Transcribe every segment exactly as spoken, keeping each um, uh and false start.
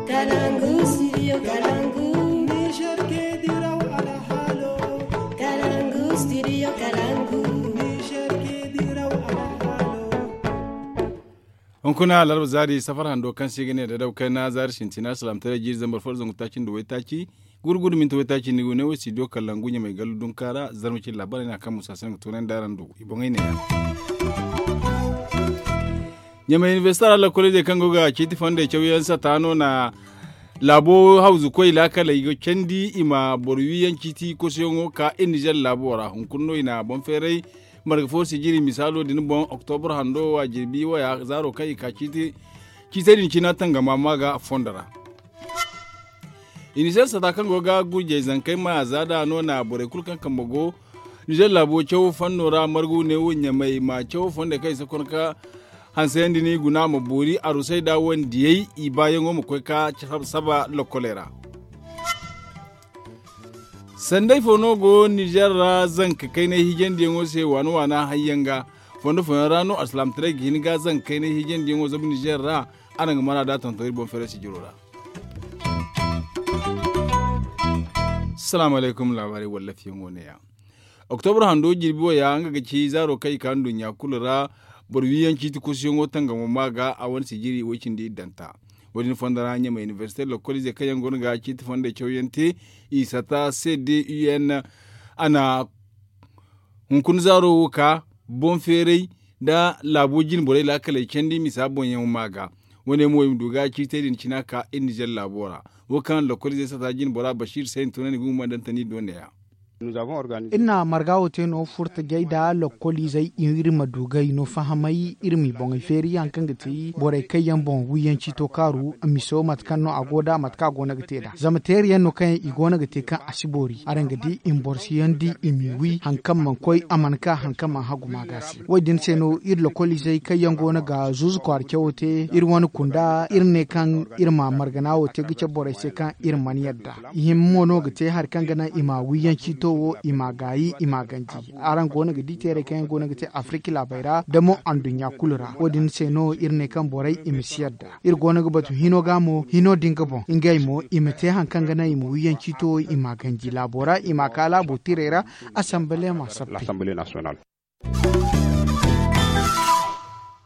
Kalangu, studio Kalangu. Niger ke diraw alhalo. Kalangu, studio Kalangu. Niger ke diraw alhalo. Hunkuna alarba zaari safar hando kaŋ se i ga ne da daw kayna zaari sintina salaamtaray jiiri zambar fo da zangu taaci nda waytaaci, gurgudu minti waytaaci ni go ne wo studio Kalangu ɲamay gallu dunka ra. Zarma cine laabaarey no a kaŋ musa se nga toonandi araŋ do i boŋey ne. Ɲamay inibersite ra lokoliizey kaŋ go ga ciiti fondey cawyaŋ sata no na laabo hawzukoy laakaley ga candi i ma boro wiyaŋ ciiti kosoyaŋo ka iri nizer laabo ra hunkuna no i na boŋ feeray marga fo sijiri misaalo din boŋ oktobur hando wo a jirbi waya zaaro kaŋ i ka ciiti ciitey din cina tangama ma ga fondo ra. Inizer sata kaŋ go ga gurjey zankey ma za da no na borey kulu kaŋ kambe go nizer laabo cawo fanno ra margu ne wo ɲamay ma cawo fondey kaŋ i si koy ka hansayandi ni guna ma boori arusay da wandiyey i baayaŋo ma koy ka saba lokoley ra. Sanday fo no go nizer ra zanka kaynay hijandiyaŋo se waana waana hayyaŋ ga fondo fooyaŋ ra no alsilaamataray ga hin ga zanka kaynay hijandiyaŋo zabu nizer ra. Araŋ ga mana da tonton iri boŋ feere sijiro ra. Salaamu alaykum laabaarey wallafiyaŋo ne ya. Oktobur hando jirbi wo ya nga ga ci zaaro kaŋ i ka nduɲɲa kulu ra boro wiyaŋ ciiti kusuyaŋo tangamo ma ga a wane sijiri way cindi iddanta. Wo- din fondo ra ɲamay inibersite lokolize kaŋ yaŋ go no ga ciiti fondey cawyaŋ te i sata cdun a na hunkuna zaaro wo ka boŋ feeray nda laabo jine borey laakaley candi misa boŋyaŋo ma ga. Wo- ne mo i ma du ga ciitey din cina ka iri nizer laabo ra wo kaŋ lokolize sata jine bora basiir se i na tunandi ga humandantani do ne ya. Iri na marga wo te no furtajey nda lokoliizey iri ma du ga i no fahamay iri m'i boŋey feeri hari kaŋ ga ti borey kaŋ yaŋ boŋ wiyaŋ ciito kaaru miso mate kaŋ no a go nd'a mate kaŋ a go no ga te nd'a zama teeri yaŋ no kaŋ yaŋ i go no ga te kaŋ a si boori araŋ ga di i ma boro si yaŋ di i m'i wi hari kaŋ mana koy a mana ka hari kaŋ mana hagu ma ga se. Wo- din se no iri lokoliizey kaŋ yaŋ go no ga zuuzu kwaara cawo te iri wane kunda iri ne kaŋ iri ma margana wo te ga cabe borey se kaŋ iri mana yadda. Hima mo no ga te hari kaŋ ga naŋ i ma wiyaŋ ciito wo i ma gaayi i ma ganji. Araŋ go no ga di teerey kaŋ yaŋ go no ga te afirika laabey ra da mo anduɲɲa kulu ra wo- din se no iri ne kaŋ borey i ma si yadda. Iri go no ga batu hino ga mo hino din ga boŋ ngey mo i ma te hari kaŋ ga naŋ i ma wiyaŋ ciito wo i ma ganji laabo ra i ma ka laabo tirey ra. Asambale ma sappe.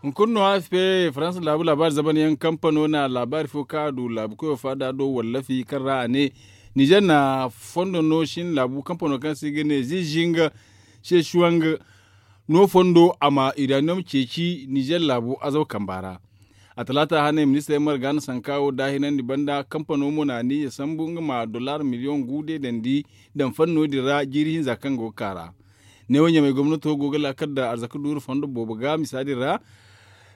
Hunkuna no a si fe faransa laabu laabaari zaban yaŋ kampano na laabaari fo kaŋ a du laabu koyo faada do wallafi kaŋ ra a ne nizer na fondo no shin laabu kampano kaŋ se i ga ne zizinga seshuwang no fondo a ma iraniyom ceeci nizer laabu azaw kamba ra. A talaata hane ministirey marga na sanka wo daahinandi banda kampano mo na niya sambu nga ma dollar miliyoŋ gu deedandi daŋ fanno din ra jiiri hinza kaŋ go ga ka ra. Neewo ɲamey gomnato go ga laakal da arzaka duuru fondo boobo ga misa din ra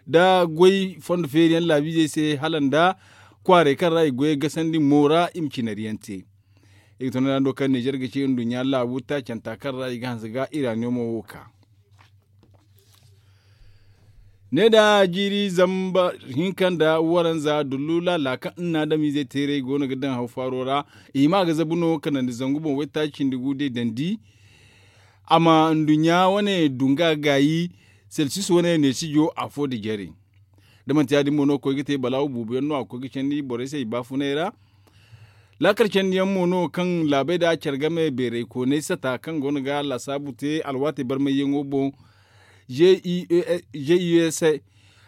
da goy fondo feeriyaŋ laabiizey se hala nda kwaarey kaŋ ra i goyey gasandi mo ra i ma cinariyaŋ te. I ga tunandi hando kaŋ nizer ga ci nduɲɲa laabu taacanta kaŋ ra i ga hanse ga iraniyomo wo ka ne da jiiri zamba hinka nda waranza dullu laala kaŋ nna adamiizey teeray go no ga daŋ haw faaro ra. I hima ga zabu no kanandi zangu boŋ waytaaci cindi gu day dandi a ma nduɲɲa wane dunga gaayi selsis wane neesijo afo da jare. Da manti ya- din mo no ga koy ga te balaawu buubu yaŋ no a ga koy ga candi borey se i baafunay ra. Laakal candiyaŋ mo no kaŋ laabey da care game beeray koonay sata kaŋ go no ga laasaabu te alwaatey barmayyaŋo boŋ. J U S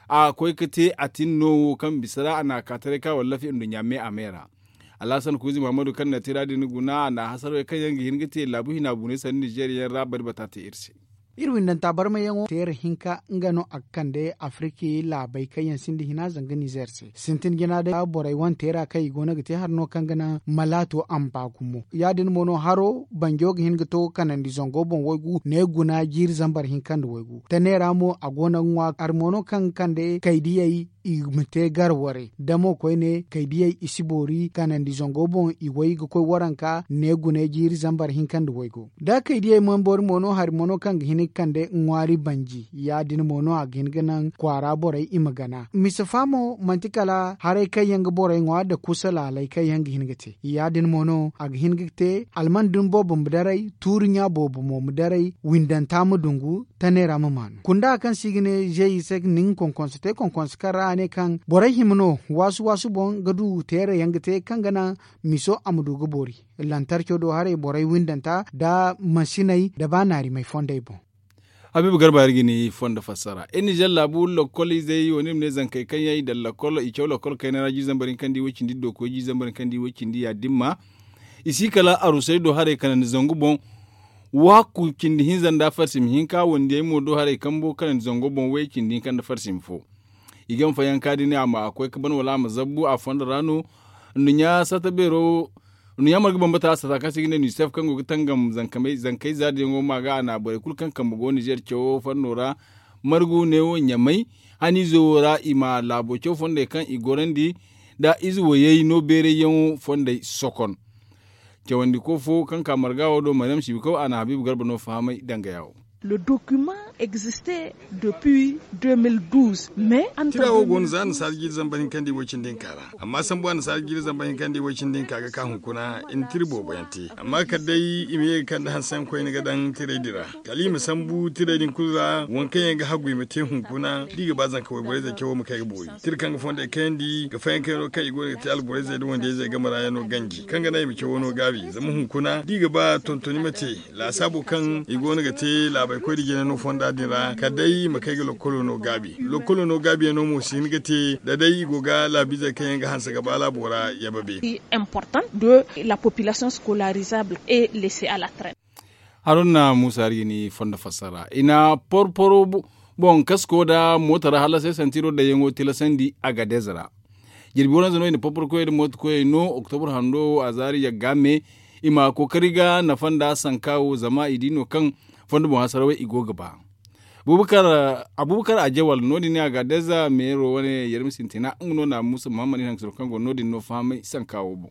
a koy ga te a tin no wo kaŋ bisa ra a na a ka taray ka wallafi nduɲɲa me a me ra. Alhasan kuuzi muhammadu kaŋ na tira din guna a na hasarey kaŋ yaŋ ga hin ga te laabu hina buunay sanni nizer yaŋ ra bari bata te iri se. Iri windanta barmayyaŋo teera hinka nga no a ga kande afiriki laabey kaŋ yaŋ sinda hina zanga nizer se sintin jina day borey wane teera kaŋ i go no ga te hari no kaŋ ga naŋ malaato a ma ba gumo ya- din mo no haro banjo ga hin ga to kanandi zango boŋ waygu ne guna jiiri zambar hinka nda waygu tane ra mo a go no ga ŋwa hari mo no kaŋ ga kande kaydiyey i ma te gar warey da mo koyne kaydiyey i si boori kanandi zango boŋ i way ga koy waranka ne gune jiiri zambar hinka nda waygo da kaydiyey man boori mo no hari mo no kaŋ ga hin ga kande ŋwaari banji ya- din mo no a ga hin ga naŋ kwaara borey i ma gana misa fa mo manti kala haray kaŋ yaŋ ga borey ŋwa nda kusa laalay kaŋ yaŋ ga hin ga te ya- din mo no a ga hin ga te alman din boobo ma daray tuuri ɲa boobo mo ma daray windanta ma dungu tane ra ma maanu kunda kaŋ se i ga ne zeyi se nin konkonso te konkonso kaŋ ra A ne kaŋ borey hima no waasu waasu boŋ ga du teere yaŋ ga te kaŋ ga naŋ miso a ma du ga boori lantarco do haray borey windanta nda mansiney nda ba naarimey fondey boŋ. Habiibu garba iri ga ni fondo fassara iri nizer laabu lokol izey wo ni ma ne zankey kaŋ yaŋ i daŋ lokol i caw lokol kayna ra jiiri zambar hinkandi way cindi dookoy jiiri zambar hinkandi way cindi ya- din ma i si kala arusey do haray kanandi zangu boŋ. Waaku cindi hinza nda farsim hinka wandiyey mo do haray kambo kanandi zango boŋ way cindi hinka nda farsim fo. I ga ma fayanka din a ma koy ga ban wala a ma zabbu a fondo ra no. Nduɲɲa sata beero nduɲɲa marga bambata sata kaŋ se i ga ne nusef kaŋ go ga tangam zankey zaadiyaŋo ma ga a na borey kulu kaŋ kambe go nizer cawo fondo ra. Margu neewo ɲamay haniizo wo ra i ma laabo caw fondey kaŋ i gorandi nda ize wayey no beerayyaŋo fondey sokon. Cawandiko fo kaŋ ka marga wo do maryam siibikaw a na habiibu garba no fahamay danga yaawo. Le document existe depuis deux mille douze mais tira wo go no za nasaara jiiri zambar hinkandi way cindi hinka ra. Amma sambu a nasaara jiiri zambar hinkandi way cindi hinka ga ka hunkuna i na tira boobo yaŋ te amma kala day i ma ye ga kande hanse yaŋ koyne ga daŋ tiray din ra. Kala i ma sambu tiray din kulu ra waŋ kaŋ yaŋ ga haggu i ma te hunkuna da i ga ba zanka wayborey zey cawo ma kay ga boori tira kaŋ ga fondey kayandi ga fayankayaŋo kaŋ i go no ga te alborey zey nda wandiyey zey game ra yaŋ no ganji kaŋ ga naŋ i ma cawo no gaabi zama hunkuna da i ga ba tontoni ma te. Laasaabo kaŋ i go no ga te laabey koy nda jina no fonda din ra kala day i ma kay ga lokkolo no gaabi lokkolo no gaabiyaŋo mo si hin ga te da day i go ga laabiizey kaŋ yaŋ ga hanse ga ba laabo ra yababe. Important de la population scolarisable et laisser à la traine. Haruna muusa hari ga ni fondo fassara i na porporo boŋ kasko nda moota ra hallasey santiro daŋyaŋo tilasandi agadez ra. Jirbi waranza no i na porporo koyey nda moota koyey no oktobur hando wo a zaari yagga me i ma kookari ga nafa nda sanka wo zama i di no kaŋ fondo boŋ hasarawey i go ga ba. Abubakar ajewal no- din ne agadez meero wane yermi sintina nga no na muusa muhammad i na haŋ ga siro kaŋ go no- din no fahamay sanka wo boŋ.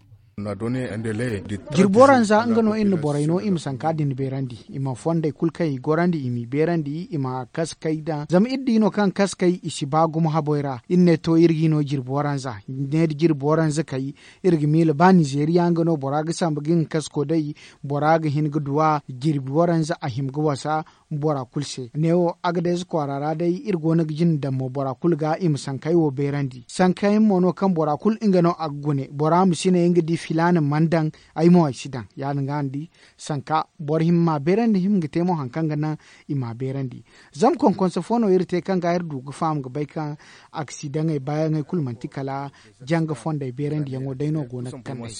Jirbi waranza nga no iri na borey no i ma sanka din beerandi i ma fondey kulu kaŋ i gorandi i m'i beerandi i ma kaskey daŋ zama iri di no kaŋ kaskey i si ba gumo haboy ra iri ne to iri ga i no jirbi waranza ne da jirbi waranza kay. Iri ga miila ba nizeeriya nga no bora ga sambu ga nga kasko day bora ga hin ga duw'a jirbi waranza a hima ga wasa. Bora kulu se neewo agadez kwaara ra day iri go no ga jina daŋ mo bora kulu ga i ma sankey wo beerandi sanka yaŋ mo no kaŋ bora kulu nga no a ga gune bora ma si ne nga di filaana mana daŋ. Ay mo ay si daŋ ya- din ga ni di sanka boro hima ma beerandi hima ga te mo hari kaŋ ga naŋ i ma beerandi. Zama konkonse fo no iri te kaŋ ga iri du ga faham ga bay kaŋ aksidaŋey baayaŋey kulu manti kala janga fondey beerandiyaŋo day no go no ga kande.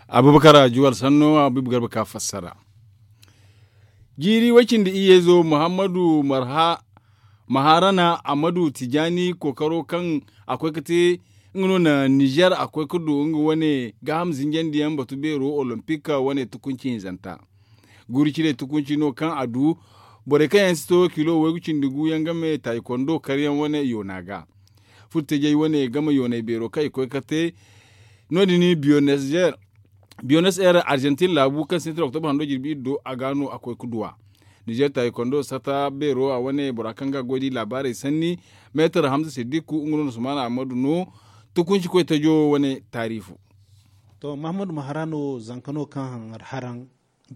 Abubakar juwal sanno abibu garba ka fassara. Jiiri way cindi iyyeezo muhammadu maharana ammadu tijaani kookaro kaŋ a koy ga te nga no na nizer a koy ga du nga wane gaaham zinjandiyaŋ batu beero olompik wane tukunci hinzanta. Guuri ciney tukunci no kaŋ a du borey kaŋ yaŋ si to kilo waygu cindi gu yaŋ game taayi kondo karyaŋ wane yoona ga. Furtajey wane game yoonay beero kaŋ i koy ga te no- din biyones er arjantin laabu kaŋ sintin oktobar hando jirbi iri do a ga no a koy ga duw'a. Nizer taayi kondo sata beero a wane bora kaŋ ga goy da i laabaarey sanni meetar hamza siddiku nga no na sumaana ammadu no. Tukunci koy tajo wane taarifu. To mahammadu ma hara no zanka no kaŋ haraŋ.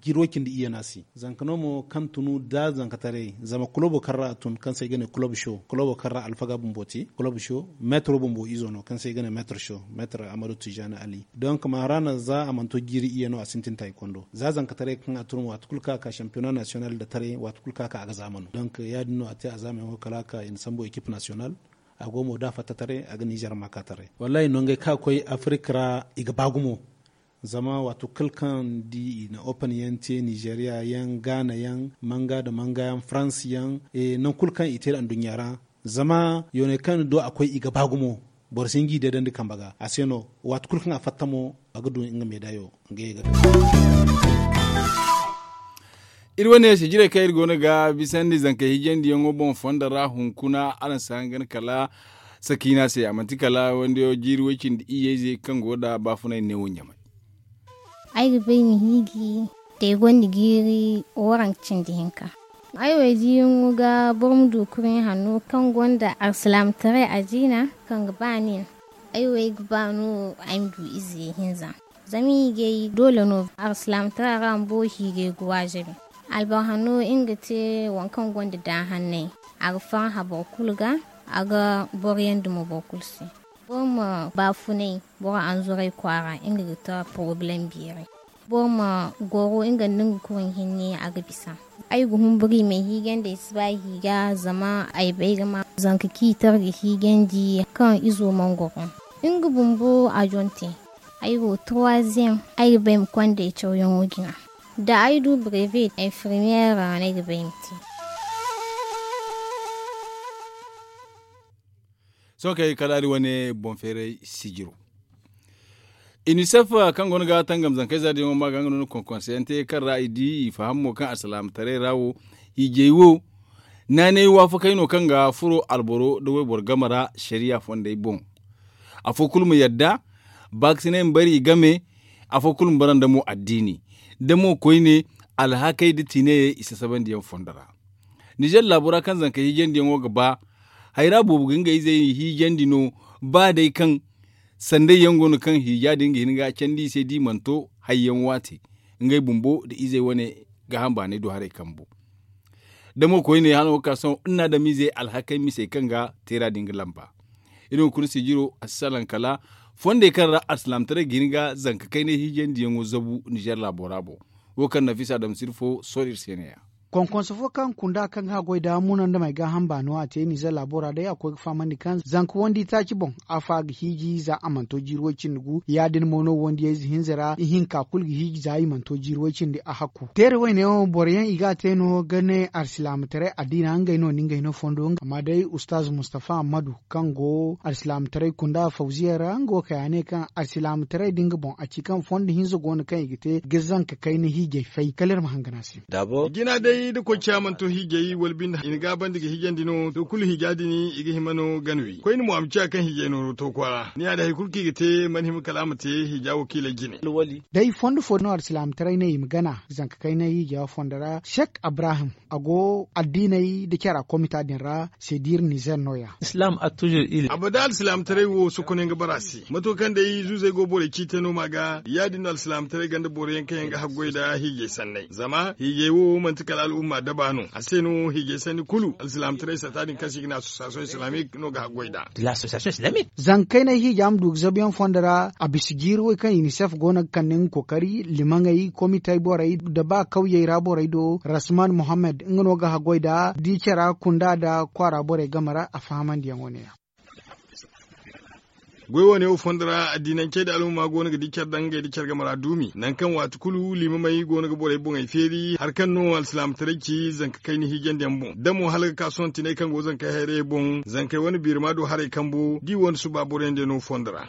Jiiri way cindi iyye no a si zanka no mo kaŋ tunu da zankataray zama kulobo kaŋ ra a tun kaŋ se ay ga ne kulobo show kulobo kaŋ ra alfaga bumbo te kulobo show meetaro bumbo izo no kaŋ se ay ga ne meetaro show meetaro ammadu tijaani ali donk ma hara no za a mana to jiiri iyye no a sintin taayi kondo za zankataray kaŋ a tun waati kulu kaŋ a ka shampiyona nasiyonal nda taray waati kulu kaŋ a ka a ga zaama no donk ya- din no a te a zaama yaŋo kala a ka i na sambu ekip nasiyonal. A go mo da a fatta taray a ga nizer ma ka taray wallahi nongey kaŋ a koy afirik ra i ga ba gumo. Zama waati kulu kaŋ di i na open yaŋ te nizeriya yaŋ gaana yaŋ manga nda manga yaŋ farans yaŋ nangu kulu kaŋ i te nda anduɲɲa ra. Zama yooney kaŋ ni du a koy i ga ba gumo. Boro si hin ga i deedandi kambe ga a se no waati kulu kaŋ a fatta mo a ga du nga meedaayo. Nga ye ga iri wane se jirey kaŋ iri go no ga bisandi zankey hijandiyaŋo boŋ fondo ra hunkuna araŋ si hangan kala sakiina se a manti kala wandiyo jiiri way cindi iyye ize kaŋ go nda baafunay neewo ɲamay. Ay ga bay ma hiiji te gonda jiiri waranka cindi hinka. Ay wo ay diiyaŋo ga boro ma du kurɲe hanno kaŋ gonda alsilaamataray adiina kaŋ ga ba nin. Ay wo ay ga ba no ay ma du ize hinza. Zama hiijay doole no alsilaamataray ra bumbo hiijay ga waajabi. Alboro hanno nga ga te waŋ kaŋ gonda daahannay. a ga farhã boro kulu ga, a ga boro yandi mo boro kulu se. Boro ma baafunay boro anzuray kwaara, nga ga ta porobalem beeri. Boro ma goro nga nda nga kurɲ hinne, a ga bisa. Ay ga humburu i ma ay hiijandi, ay si ba ay hiija, zama ay bay ga ma zanka ciitar ga hiijandi kaŋ izo mana goro. Nga bumbo a jonte. Ay go troisième, ay ga bay ma konda ay cawyaŋo jina. Da ay du brevet infirmière ra no ay ga bay ma te. Sohõ kay kala iri wane boŋ feeray sijiro. Inisef kaŋ goono ga tangam zankayza diyaŋo ma ga nga no ni konkonseyaŋ te kaŋ ra i di i faham mo kaŋ alsilaamataray ra wo, hiijay wo naanay waafakay no kaŋ ga furo alboro nda wayboro game ra sariya fondey boŋ. Afo kulu ma yadda, baakasinay ma bari i game. Afo kulu ma bara nda mo addiini, da mo koyne, alhakey nda tiinayey i sasabandiyaŋ fondo ra. Nizer laabo ra kaŋ zankey hiijandiyaŋo ga ba, hayra boobo ga ngey izey hiijandi no, ba day kaŋ sanday yaŋ go no kaŋ hiija din ga hin ga candi i se da i mana to hayyaŋ waate. Ngey bumbo nda izey wane gaaham baanay do haray kambu. Da mo koyne hano ga ka sohõ nna adamiizey alhakey misey kaŋ ga teera din ga lamba. Iri hunkuna sijiro a si salaŋ kala fondey kaŋ ra alsilaamataray ga hin ga zanka kaynay hiijandiyaŋo zabu nizer laabo ra boŋ. Wo kaŋ nafisa adama sirfo sohõ iri se ne-ya. Konkonso fo kaŋ kunda kaŋ ga haggoy da munandamey gaaham baano a te nizer laabo ra day a koy ga fahamandi kaŋ zanka wandi taaci boŋ, afa ga hiiji za a mana to jiiri way cindi gu. Ya- din mo no wandiyayze hinza ra ihinka kulu ga hiiji za i mana to jiiri way cindi a hakku. Teera wayne wo boro yaŋ i ga a te no ga ne alsilaamataray addiina ngey no na ngey no fondo. Amma day ustaaz mustafa ammadu kaŋ go alsilaamataray kunda fawziya ra nga wo kay a ne kaŋ alsilaamataray da nga boŋ a ci kaŋ fondo hinza go no kaŋ i ga te ga zanka kayna hiijay fay kala iri ma hangan a se. Jina day da koy ciya mana to hiijay wala binde i na gaabandi ga hiijandi no to kulu hiija din i ga hima no gana wi koyne mo a ma ciya kaŋ hiijay nooro to kwaara ni ya da hari kulu kaŋ i ga te mana hima kala a ma te hiija wakiilay jine. Day fondo fo no alsilaamataray ne i ma gana zanka kayna hiija fondo ra sek abrahim a go addiiney da cara komita din ra. Sedir nizer no- ya. Abada alsilaamataray wo sokonay nga bara se mato kaŋ day zuuzey go borey ciitay no ma ga ya- din no alsilaamataray ganda boro yaŋ kaŋ yaŋ ga haggoy nda hiijay sanney zama hiijay wo manti kala al'umma daba no a se no hiijay sanni kulu alsilaamataray sata din kaŋ se i ga ne association islamique no ga haggoy nda. Zankaynay hiija ma du ga zabuyaŋ fondo ra a bisa jiiri way kaŋ inisef go no ga kande nga kookari limaŋey komitey borey nda ba kawyey ra borey do rasman muhammad nga no ga haggoy nda di cara kunda nda kwaara borey game ra a fahamandiyaŋo ne- ya. Goy wane wo fondo ra addiinancey nda alhuma go no ga di care daŋ ngey nda care game ra duumi nangu kaŋ waati kulu liimamey go no ga borey boŋey feeri hari kaŋ no alsilaamataray ci zanka kayna hiijandiyaŋ boŋ da mo hala ga ka sohõ tinay kaŋ go zankey hayrayey boŋ zankey wane biirima do haray kambo da i wane suba boroyaŋ diyaŋ no fondo ra.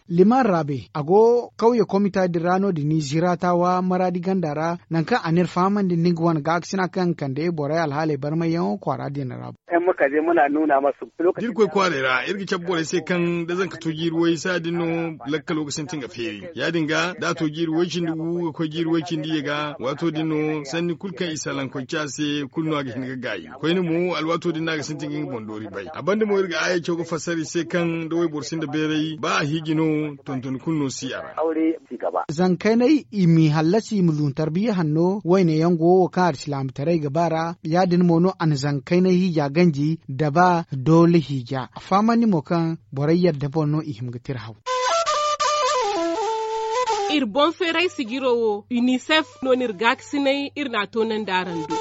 Liman rabe a go kawye komita din ra no- din ni ziratawa maradi ganda ra nangu kaŋ a n'iri fahamandi nda nga wane gaakasina kaŋ ga kande borey alhaaley barmayyaŋo kwaara din ra. Da iri koy kwaaray ra iri ga cabe borey se kaŋ da zanka to jiiri way saaya din no lakkalo ga sintin ga feeri ya- din ga da a to jiiri way cindi gu ga koy jiiri way cindi ye ga waato din no sanni kulu kaŋ i salaŋ koy ci a se kulu no a ga hin ga gaayi koyne mo alwaato din no a ga sintin ga nga boŋ doori bay a banda mo iri ga aayaco ga fassara i se kaŋ da wayboro sinda bayray ba a hiiji no tontoni kulu no si a ra. Zankaynay i m'i hallasi i ma lun tarbiya hanno wayne yaŋ go wo kaŋ alsilaamataray ga ba ra ya- din mo no a na zankaynay hiija ganji da ba doole hiija a fahamandi mo kaŋ borey yadda boŋ no i hima ga tira haw. Iri boŋ feeray sijiro wo unicef no no iri gaakasinay iri n'a toonandi araŋ do.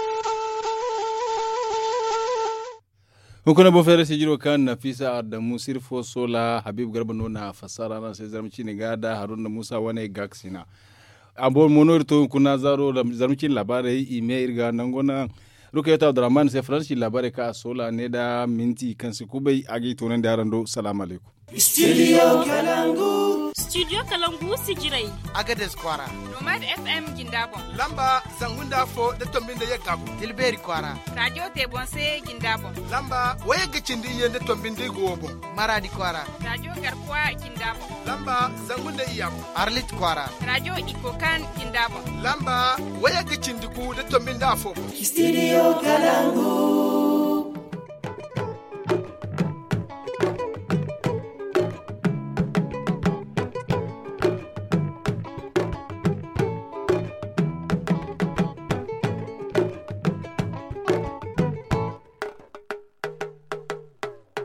Hunkuna boŋ feeray sijiro kaŋ nafisa adamu sirfo sola habib garba no n'a fassara araŋ se zarma ciine ga da haruna musa wane gaakasina. A boro mo no iri to hunkuna zaaro zarma ciine laabaarey i me iri ga nango naŋ rukayatu abdurrahman se faransi laabaarey kaŋ a sola ne da minti kaŋ si kubay a ga i toonandi araŋ do salaamu alaykum. Studio kalangu. Studio kalangu sijirey. Agades kwaara. Nomad fm jinda boŋ. Lamba zangu nda afo da tombi nda yagga boŋ tilbeeri kwaara. Radio te boŋ se jinda boŋ. Lamba wayagga cindi iyye nda tombi nda igo wo boŋ. Maradi kwaara. Radio garkuwa jinda boŋ. Lamba zangu nda iyya boŋ. Arlit kwaara. Radio ikokan jinda boŋ. Lamba wayagga cindi gu da tombi nda afo boŋ. Studio kalangu.